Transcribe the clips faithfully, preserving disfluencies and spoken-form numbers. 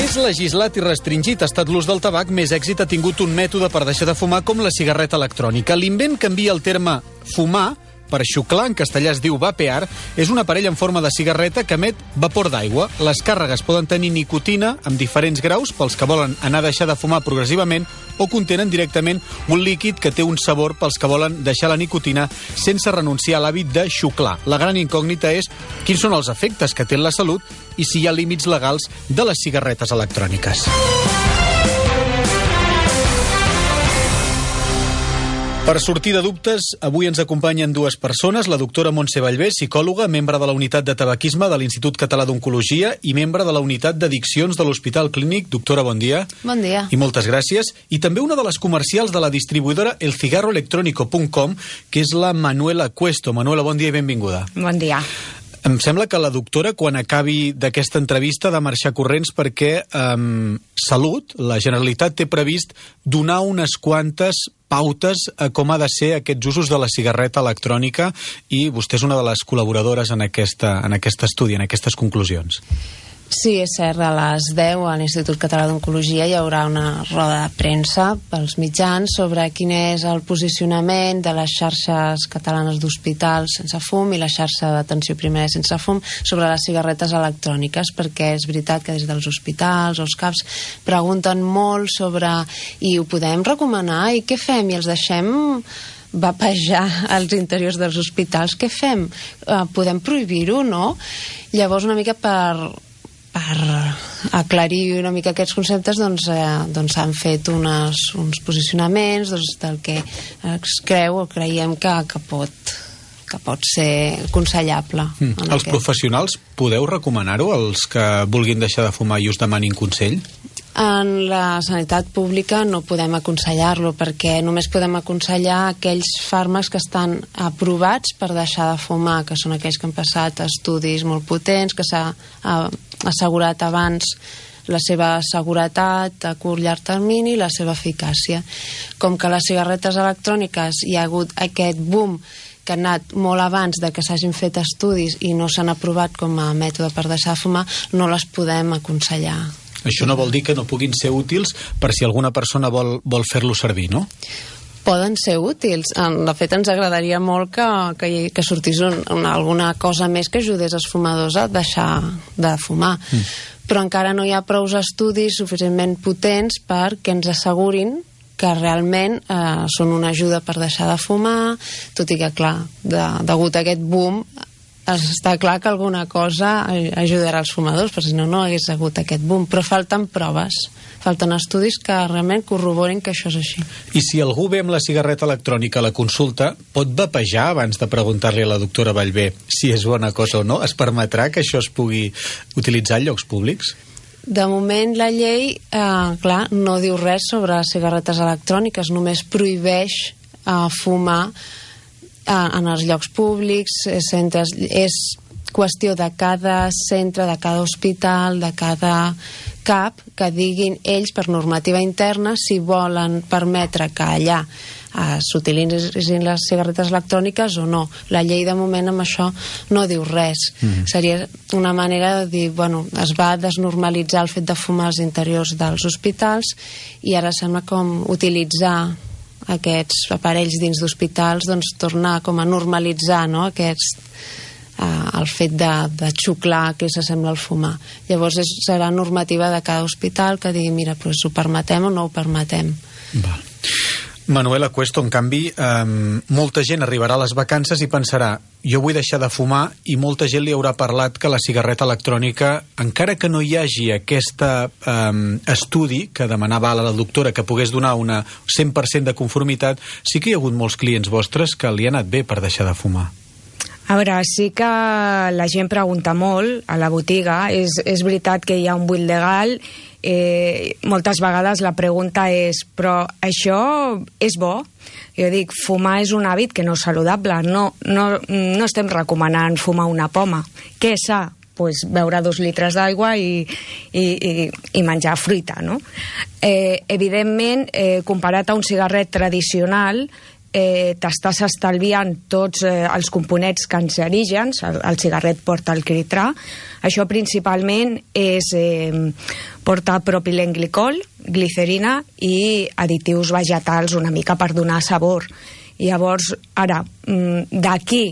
més legislat i restringit ha estat l'ús del tabac, més èxit ha tingut un mètode per deixar de fumar com la cigarreta electrònica. L'invent canvia el terme fumar per xuclar, en castellà es diu vapear, és un aparell en forma de cigarreta que emet vapor d'aigua. Les càrregues poden tenir nicotina amb diferents graus pels que volen anar a deixar de fumar progressivament o contenen directament un líquid que té un sabor pels que volen deixar la nicotina sense renunciar a l'hàbit de xuclar. La gran incògnita és quins són els efectes que té en la salut i si hi ha límits legals de les cigarretes electròniques. Per sortir de dubtes, avui ens acompanyen dues persones, la doctora Montse Ballbé, psicòloga, membre de la unitat de tabaquisme de l'Institut Català d'Oncologia i membre de la unitat d'addiccions de l'Hospital Clínic. Doctora, bon dia. Bon dia. I moltes gràcies. I també una de les comercials de la distribuïdora el cigarro electrónico punt com, que és la Manuela Cuesto. Manuela, bon dia i benvinguda. Bon dia. Em sembla que la doctora, quan acabi d'aquesta entrevista, ha de marxar corrents perquè eh, Salut, la Generalitat, té previst donar unes quantes pautes a com ha de ser aquests usos de la cigarreta electrònica i vostè és una de les col·laboradores en, aquesta, en aquest estudi, en aquestes conclusions. Sí, és cert, a les deu a l'Institut Català d'Oncologia hi haurà una roda de premsa pels mitjans sobre quin és el posicionament de les xarxes catalanes d'hospitals sense fum i la xarxa d'atenció primària sense fum sobre les cigarretes electròniques, perquè és veritat que des dels hospitals o els CAPs pregunten molt sobre i ho podem recomanar i què fem i els deixem vapejar als interiors dels hospitals, què fem? Uh, podem prohibir-ho, no? Llavors una mica per per aclarir una mica aquests conceptes doncs, eh, doncs han fet unes, uns posicionaments doncs, del que es creu o creiem que, que, pot, que pot ser aconsellable. Mm. Els aquest. Professionals podeu recomanar-ho, els que vulguin deixar de fumar i us demanin consell? En la sanitat pública no podem aconsellar-lo perquè només podem aconsellar aquells fàrmacs que estan aprovats per deixar de fumar, que són aquells que han passat estudis molt potents, que s'ha assegurat abans la seva seguretat a curt llarg termini i la seva eficàcia. Com que les cigarretes electròniques hi ha hagut aquest boom que ha anat molt abans de que s'hagin fet estudis i no s'han aprovat com a mètode per deixar de fumar, no les podem aconsellar. Això no vol dir que no puguin ser útils per si alguna persona vol, vol fer-lo servir, no? Poden ser útils. De fet, ens agradaria molt que, que, que sortís un, una, alguna cosa més que ajudés els fumadors a deixar de fumar. Mm. Però encara no hi ha prou estudis suficientment potents perquè ens assegurin que realment eh, són una ajuda per deixar de fumar, tot i que, clar, de, degut a aquest boom, està clar que alguna cosa ajudarà als fumadors, perquè si no, no hagués hagut aquest boom. Però falten proves, falten estudis que realment corroborin que això és així. I si algú ve amb la cigarreta electrònica a la consulta, pot vapejar abans de preguntar-li a la doctora Ballbé si és bona cosa o no? Es permetrà que això es pugui utilitzar en llocs públics? De moment la llei, eh, clar, no diu res sobre cigarretes electròniques, només prohibeix eh, fumar en els llocs públics, centres, és qüestió de cada centre, de cada hospital, de cada CAP, que diguin ells per normativa interna si volen permetre que allà eh, s'utilitzin les cigarretes electròniques o no. La llei de moment amb això no diu res. Mm-hmm. Seria una manera de dir, bueno, es va desnormalitzar el fet de fumar als interiors dels hospitals i ara sembla com utilitzar aquests aparells dins d'hospitals, doncs tornar com a normalitzar, no?, aquests, eh, el fet de, de xuclar que s'assembla al fumar. Llavors és, serà normativa de cada hospital que digui, mira, doncs ho permetem o no ho permetem. Val. Manuela Cuesto, en canvi, eh, molta gent arribarà a les vacances i pensarà, jo vull deixar de fumar, i molta gent li haurà parlat que la cigarreta electrònica, encara que no hi hagi aquest eh, estudi que demanava la doctora que pogués donar una cent per cent de conformitat, sí que hi ha hagut molts clients vostres que li ha anat bé per deixar de fumar. A veure, sí que la gent pregunta molt a la botiga. És, és veritat que hi ha un buit legal. Eh, moltes vegades la pregunta és, però això és bo? Jo dic, fumar és un hàbit que no és saludable. No, no, no estem recomanant fumar una poma. Què és sa? Pues beure dos litres d'aigua i, i, i, i menjar fruita, no? Eh, evidentment, eh, comparat a un cigarret tradicional, eh, t'estàs estalviant tots eh, els components cancerígens, el, el cigarret porta el quitrà. Això principalment és eh, porta propilenglicol, glicerina i additius vegetals una mica per donar sabor. I llavors, ara, d'aquí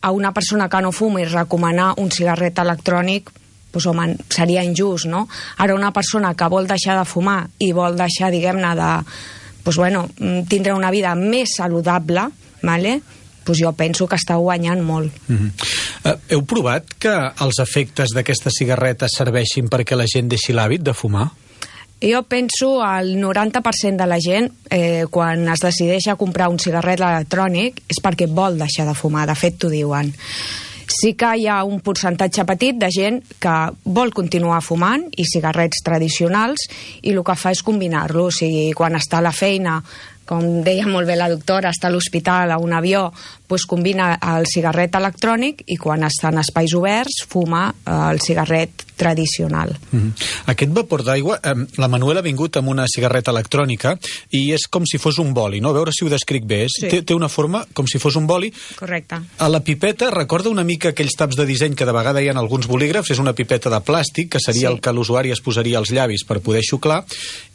a una persona que no fuma i recomanar un cigarret electrònic, pues, home, seria injust, no? Ara, una persona que vol deixar de fumar i vol deixar, diguem-ne, de pues, bueno, tindre una vida més saludable, vale? Pues jo penso que està guanyant molt. Mm-hmm. uh, heu provat que els efectes d'aquestes cigarretes serveixin perquè la gent deixi l'hàbit de fumar? Jo penso al noranta per cent de la gent, eh, quan es decideix a comprar un cigarret electrònic, és perquè vol deixar de fumar, de fet t'ho diuen. Sí que hi ha un percentatge petit de gent que vol continuar fumant i cigarrets tradicionals i el que fa és combinar-lo, o sigui, quan està a la feina, com deia molt bé la doctora, està a l'hospital, a un avió, doncs combina el cigarret electrònic i quan està en espais oberts fuma el cigarret tradicional. Mm-hmm. Aquest vapor d'aigua, eh, la Manuela ha vingut amb una cigarreta electrònica i és com si fos un boli, no? A veure si ho descric bé. Sí. Té, té una forma com si fos un boli. Correcte. A la pipeta recorda una mica aquells taps de disseny que de vegada hi ha en alguns bolígrafs, és una pipeta de plàstic, que seria sí. el que l'usuari es posaria als llavis per poder xuclar,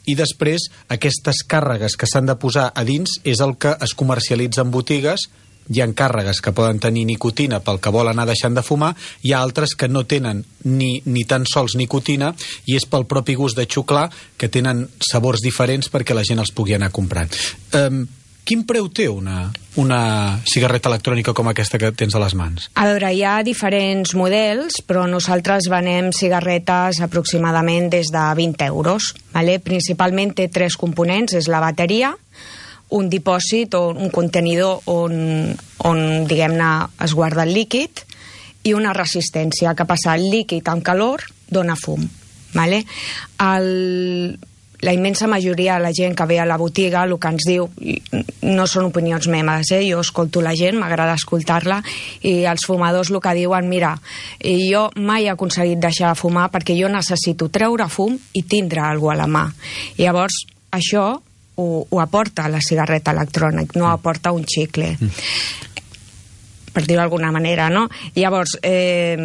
i després aquestes càrregues que s'han de posar a dins és el que es comercialitza en botigues. Hi ha càrregues que poden tenir nicotina pel que vol anar deixant de fumar, hi ha altres que no tenen ni, ni tan sols nicotina i és pel propi gust de xuclar, que tenen sabors diferents perquè la gent els pugui anar comprant. Um, quin preu té una, una cigarreta electrònica com aquesta que tens a les mans? A veure, hi ha diferents models, però nosaltres venem cigarretes aproximadament des de vint euros. Vale? Principalment té tres components, és la bateria, un dipòsit o un contenidor on, on diguem-ne, es guarda el líquid i una resistència que passa el líquid amb calor dona fum. Vale? El, la immensa majoria de la gent que ve a la botiga el que ens diu, no són opinions meves, eh? Jo escolto la gent, m'agrada escoltar-la, i els fumadors el que diuen, mira, jo mai he aconseguit deixar de fumar perquè jo necessito treure fum i tindre alguna cosa a la mà. I llavors, això Ho, ho aporta la cigarreta electrònica, no aporta un xicle, mm. per dir-ho d'alguna manera, no? Llavors, eh...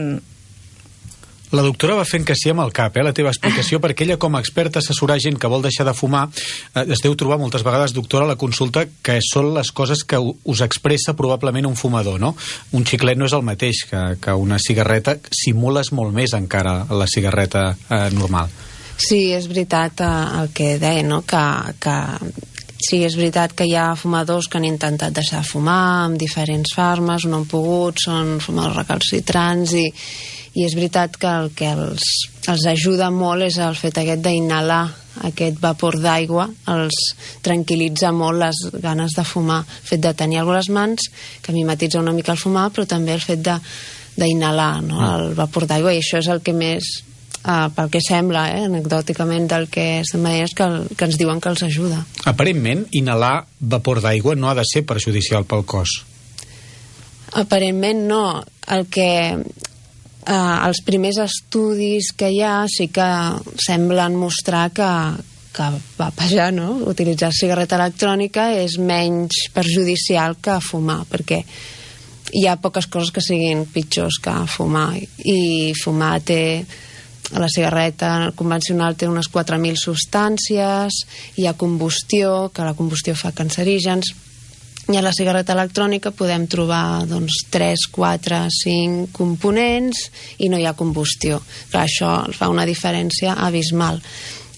la doctora va fent que sí amb el cap, eh, la teva explicació, perquè ella com a experta assessorar gent que vol deixar de fumar, eh, es deu trobar moltes vegades, doctora, a la consulta, que són les coses que us expressa probablement un fumador, no? Un xiclet no és el mateix que, que una cigarreta, simules molt més encara la cigarreta eh, normal. Sí, és veritat eh, el que deia, no? Que, que sí, és veritat que hi ha fumadors que han intentat deixar de fumar amb diferents fàrmacs, no han pogut, són fumadors recalcitrants i, i és veritat que el que els, els ajuda molt és el fet aquest d'inhalar aquest vapor d'aigua, els tranquil·litza molt les ganes de fumar, el fet de tenir alguna a les mans que mimetitza una mica el fumar, però també el fet d'inhalar, no? El vapor d'aigua, i això és el que més Uh, pel que sembla, eh, anecdòticament del que estem veient, que, el, que ens diuen que els ajuda. Aparentment, inhalar vapor d'aigua no ha de ser perjudicial pel cos. Aparentment no. El que uh, els primers estudis que hi ha sí que semblen mostrar que, que va pejar, no? Utilitzar cigarreta electrònica és menys perjudicial que fumar, perquè hi ha poques coses que siguin pitjors que fumar, i fumar té... La cigarreta convencional té unes quatre mil substàncies, hi ha combustió, que la combustió fa cancerígens, i a la cigarreta electrònica podem trobar doncs, tres, quatre, cinc components i no hi ha combustió. Clar, això fa una diferència abismal.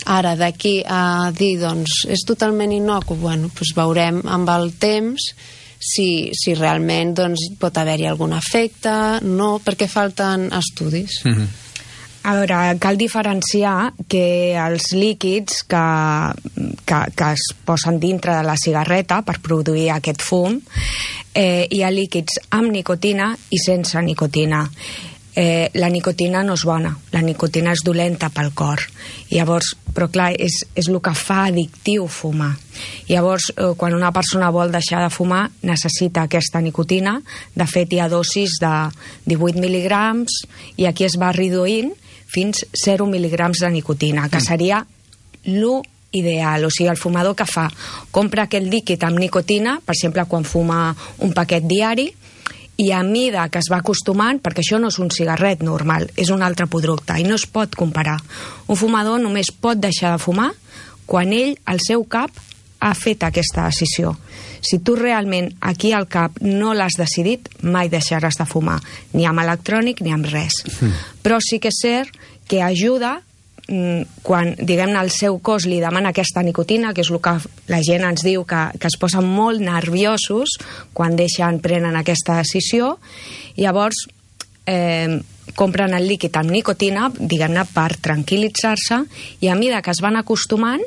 Ara, d'aquí a dir, doncs, és totalment innocu, bueno, doncs veurem amb el temps si, si realment doncs, pot haver-hi algun efecte, no, perquè falten estudis. Mm-hmm. A veure, cal diferenciar que els líquids que, que, que es posen dintre de la cigarreta per produir aquest fum, eh, hi ha líquids amb nicotina i sense nicotina. Eh, la nicotina no és bona, la nicotina és dolenta pel cor. Llavors, però clar, és, és el que fa addictiu fumar. Llavors, eh, quan una persona vol deixar de fumar, necessita aquesta nicotina. De fet, hi ha dosis de divuit mil·ligrams i aquí es va reduint fins zero mil·ligrams de nicotina, que seria lo ideal. O sigui, el fumador que fa? Compra aquest líquid amb nicotina, per exemple, quan fuma un paquet diari, i a mida que es va acostumant, perquè això no és un cigarret normal, és un altre producte, i no es pot comparar. Un fumador només pot deixar de fumar quan ell, al seu cap, ha fet aquesta decisió. Si tu realment aquí al cap no l'has decidit, mai deixaràs de fumar, ni amb electrònic ni amb res. Mm. Però sí que és cert que ajuda quan, diguem-ne, el seu cos li demana aquesta nicotina, que és el que la gent ens diu que, que es posen molt nerviosos quan deixen, prenen aquesta decisió, i llavors eh, compren el líquid amb nicotina, diguem-ne, per tranquil·litzar-se, i a mesura que es van acostumant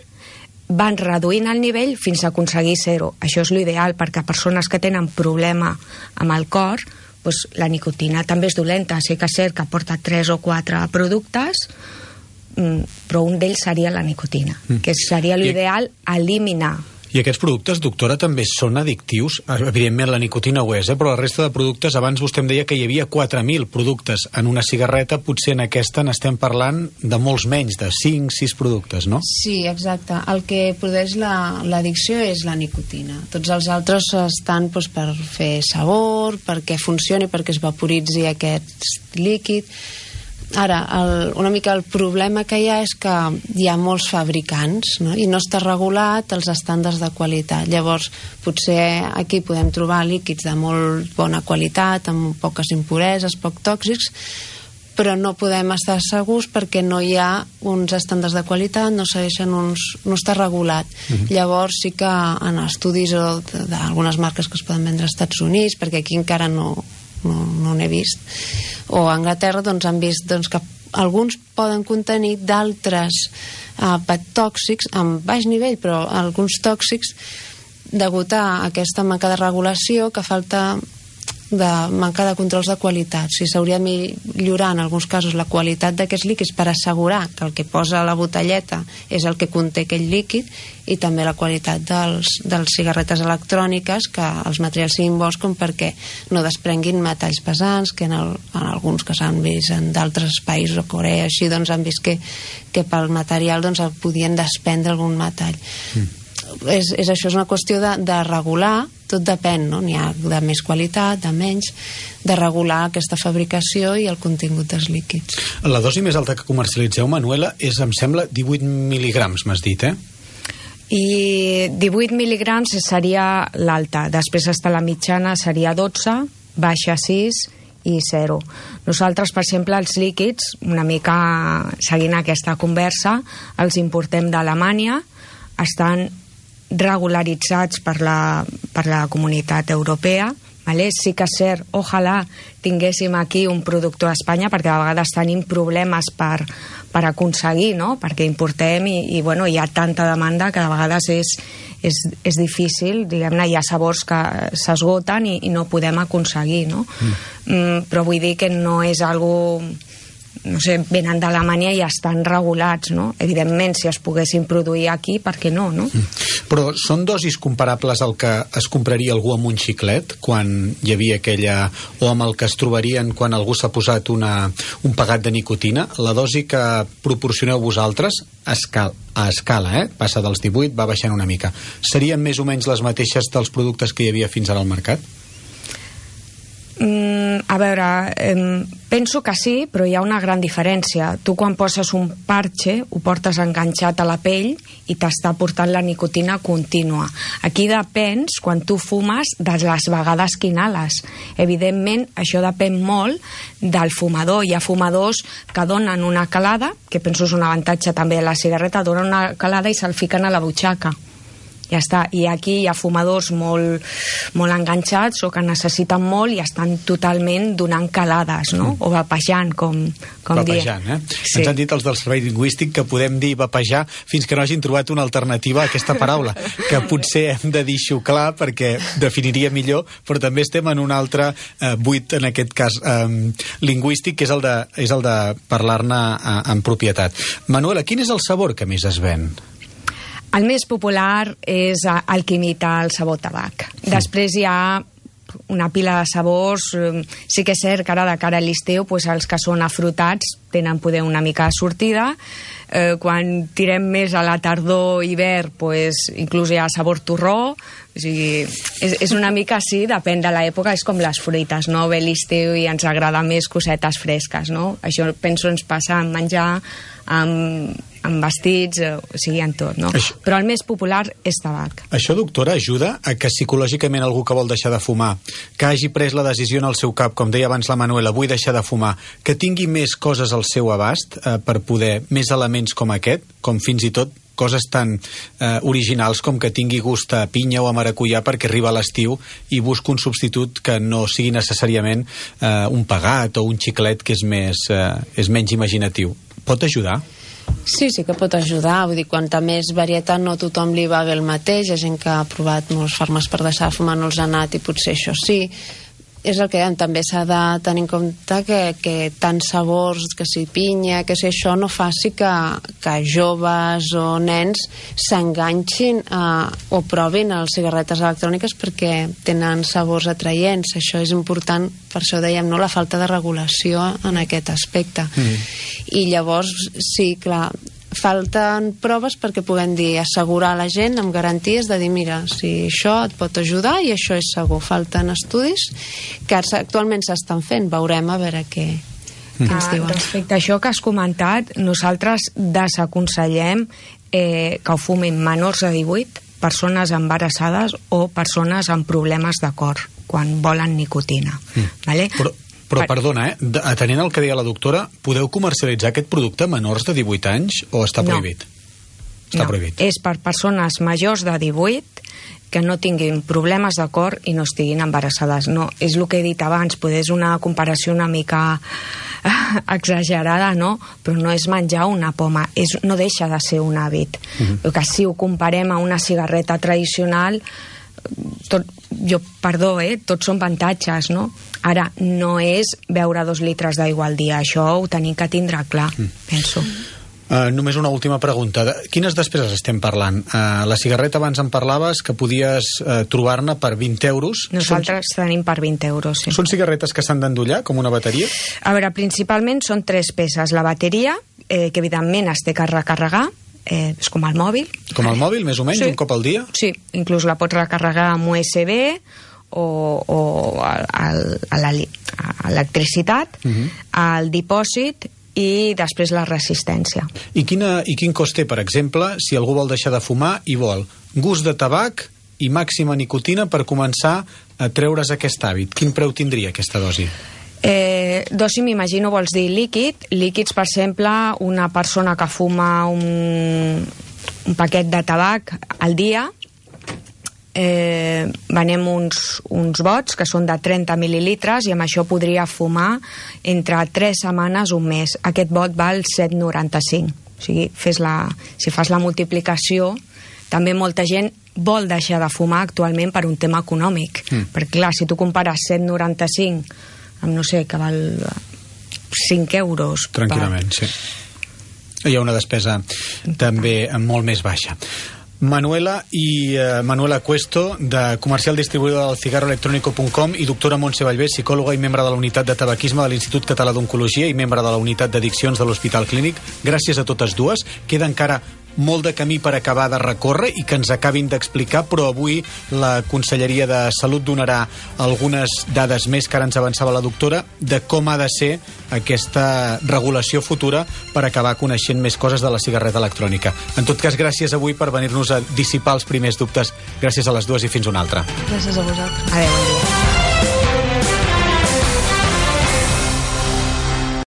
van reduint el nivell fins a aconseguir zero. Això és l'ideal, perquè persones que tenen problema amb el cor, doncs la nicotina també és dolenta. Sí que és cert que porta tres o quatre productes, però un d'ells seria la nicotina, mm. que seria l'ideal eliminar. I aquests productes, doctora, també són addictius? Evidentment la nicotina ho és, eh? Però la resta de productes, abans vostè em deia que hi havia quatre mil productes en una cigarreta, potser en aquesta n'estem parlant de molts menys, de cinc sis productes, no? Sí, exacte. El que produeix l'addicció la, és la nicotina. Tots els altres estan doncs, per fer sabor, perquè funcioni, perquè es vaporitzi aquest líquid. Ara, el, una mica el problema que hi ha és que hi ha molts fabricants, no? I no està regulat els estàndards de qualitat. Llavors, potser aquí podem trobar líquids de molt bona qualitat, amb poques impureses, poc tòxics, però no podem estar segurs perquè no hi ha uns estàndards de qualitat, no segueixen uns... no està regulat. Uh-huh. Llavors sí que en estudis d'algunes marques que es poden vendre als Estats Units, perquè aquí encara no... no, no n'he vist, o a Anglaterra doncs, han vist doncs, que alguns poden contenir d'altres eh, tòxics amb baix nivell, però alguns tòxics degut a aquesta manca de regulació, que falta de manca de controls de qualitat. Si s'hauria de millorar en alguns casos la qualitat d'aquests líquids per assegurar que el que posa a la botelleta és el que conté aquell líquid, i també la qualitat dels, dels cigarretes electròniques, que els materials siguin bons com perquè no desprenguin metalls pesants, que en, el, en alguns que s'han vist en d'altres països, o Corea, així, doncs han vist que, que pel material doncs, podien desprendre algun metall. Mm. És, és això, és una qüestió de, de regular, tot depèn, no? N'hi ha de més qualitat, de menys, de regular aquesta fabricació i el contingut dels líquids. La dosi més alta que comercialitzeu, Manuela, és, em sembla, divuit mil·ligrams, m'has dit, eh? I divuit mil·ligrams seria l'alta, després està la mitjana, seria dotze, baixa sis i zero. Nosaltres, per exemple, els líquids, una mica seguint aquesta conversa, els importem d'Alemanya, estan regularitzats per la, per la comunitat europea, vale? Sí que és cert, ojalà tinguéssim aquí un productor a Espanya, perquè a vegades tenim problemes per, per aconseguir, no? Perquè importem i, i bueno, hi ha tanta demanda que a vegades és, és, és difícil, diguem-ne, hi ha sabors que s'esgoten i, i no podem aconseguir, no? Mm. Mm, però vull dir que no és algo... no sé, venen d'Alemanya i estan regulats, no? Evidentment, si es poguessin produir aquí, per què no, no? Però són dosis comparables al que es compraria algú amb un xiclet, quan hi havia aquella... o amb el que es trobarien quan algú s'ha posat una, un pegat de nicotina? La dosi que proporcioneu vosaltres a escala, a escala, eh? Passa dels divuit, va baixant una mica. Serien més o menys les mateixes dels productes que hi havia fins ara al mercat? Mm, a veure, eh, penso que sí, però hi ha una gran diferència. Tu quan poses un parche ho portes enganxat a la pell i t'està portant la nicotina contínua. Aquí depens, quan tu fumes, de les vegades que inhales. Evidentment, això depèn molt del fumador. Hi ha fumadors que donen una calada, que penso és un avantatge també de la cigarreta, donen una calada i se'l fiquen a la butxaca. Ja està. I aquí hi ha fumadors molt, molt enganxats o que necessiten molt i estan totalment donant calades, no? O vapejant, com, com vapejant, eh? Sí. Ens han dit els del servei lingüístic que podem dir vapejar fins que no hagin trobat una alternativa a aquesta paraula, que potser hem de dir xuclar perquè definiria millor, però també estem en un altre eh, buit, en aquest cas eh, lingüístic, que és el de, és el de parlar-ne eh, en propietat. Manuela, quin és el sabor que més es ven? El més popular és el que imita el sabor tabac. Després hi ha una pila de sabors. Sí que és cert que ara de cara a l'estiu pues, els que són afrutats tenen poder una mica de sortida. Eh, quan tirem més a la tardor hivern pues, inclús hi ha sabor torró. O sigui, és, és una mica així, depèn de l'època, és com les fruites, no? Ve l'estiu i ens agrada més cosetes fresques, no? Això penso ens passa en menjar, amb, amb vestits, o sigui, en tot, no? Això... Però el més popular és tabac. Això, doctora, ajuda a que psicològicament algú que vol deixar de fumar, que hagi pres la decisió en el seu cap, com deia abans la Manuela, vull deixar de fumar, que tingui més coses al seu abast eh, per poder, més elements com aquest, com fins i tot coses tan eh, originals com que tingui gust a pinya o a maracuyà perquè arriba l'estiu i busca un substitut que no sigui necessàriament eh, un pegat o un xiclet que és, més, eh, és menys imaginatiu. Pot ajudar? Sí, sí que pot ajudar. Vull dir, quanta més varietat no a tothom li va bé el mateix. Hi ha gent que ha provat molts fàrmacs per deixar de fumar, no els ha anat i potser això sí. És el que dèiem, també s'ha de tenir en compte que, que tants sabors, que si pinya, que si això no faci que, que joves o nens s'enganxin eh, o provin les cigarretes electròniques perquè tenen sabors atraients. Això és important, per això dèiem, no, la falta de regulació en aquest aspecte. Mm. I llavors, sí, clar, falten proves perquè puguem dir, assegurar a la gent amb garanties de dir, mira, si això et pot ajudar i això és segur. Falten estudis que actualment s'estan fent, veurem a veure què, què ens diuen. Ah, respecte a això que has comentat, nosaltres desaconsellem eh, que ho fumin menors de divuit, persones embarassades o persones amb problemes de cor quan volen nicotina. Mm. Vale? Però Però, perdona, eh? atenent al que deia la doctora, podeu comercialitzar aquest producte a menors de divuit anys o està prohibit? No, està no. prohibit. És per persones majors de divuit que no tinguin problemes de cor i no estiguin embarassades. No, és el que he dit abans, poder és una comparació una mica exagerada, no? Però no és menjar una poma, és, no deixa de ser un hàbit. Uh-huh. El que si ho comparem a una cigarreta tradicional, tot, jo, perdó, eh, tots són avantatges, no? Ara, no és beure dos litres d'aigua al dia, això ho tenim que tindre clar, mm. penso. Uh, només una última pregunta. De quines despeses estem parlant? Uh, la cigarreta abans en parlaves que podies uh, trobar-ne per vint euros. Nosaltres són... tenim per vint euros, sí. Són cigarretes que s'han d'endollar, com una bateria? A veure, principalment són tres peces. La bateria, eh, que evidentment es té que recarregar, eh, és com el mòbil. Com el mòbil, més o menys, sí. Un cop al dia? Sí, inclús la pots recarregar amb U S B o, o a, a l'electricitat, uh-huh. al dipòsit i després la resistència. I, quina, I quin cost té, per exemple, si algú vol deixar de fumar i vol gust de tabac i màxima nicotina per començar a treure's aquest hàbit? Quin preu tindria aquesta dosi? Eh, dosi, m'imagino, vols dir líquid. Líquids, per exemple, una persona que fuma un, un paquet de tabac al dia, eh, venem uns, uns bots que són de trenta mil·lilitres i amb això podria fumar entre tres setmanes o un mes. Aquest bot val set coma noranta-cinc. O sigui, fes la, si fas la multiplicació, també molta gent vol deixar de fumar actualment per un tema econòmic. Mm. Perquè, clar, si tu compares set coma noranta-cinc amb, no sé, que val cinc euros... Tranquil·lament, per... sí. Hi ha una despesa també molt més baixa. Manuela i uh, Manuela Cuesto, de comercial distribuïdora del cigarro electrónico punt com, i doctora Montse Vallvé, psicòloga i membre de la unitat de tabaquisme de l'Institut Català d'Oncologia i membre de la unitat d'addiccions de l'Hospital Clínic. Gràcies a totes dues. Queda encara molt de camí per acabar de recórrer i que ens acabin d'explicar, però avui la Conselleria de Salut donarà algunes dades més que ara ens avançava la doctora de com ha de ser aquesta regulació futura per acabar coneixent més coses de la cigarreta electrònica. En tot cas, gràcies avui per venir-nos a dissipar els primers dubtes. Gràcies a les dues i fins una altra. Gràcies a vosaltres. Adéu.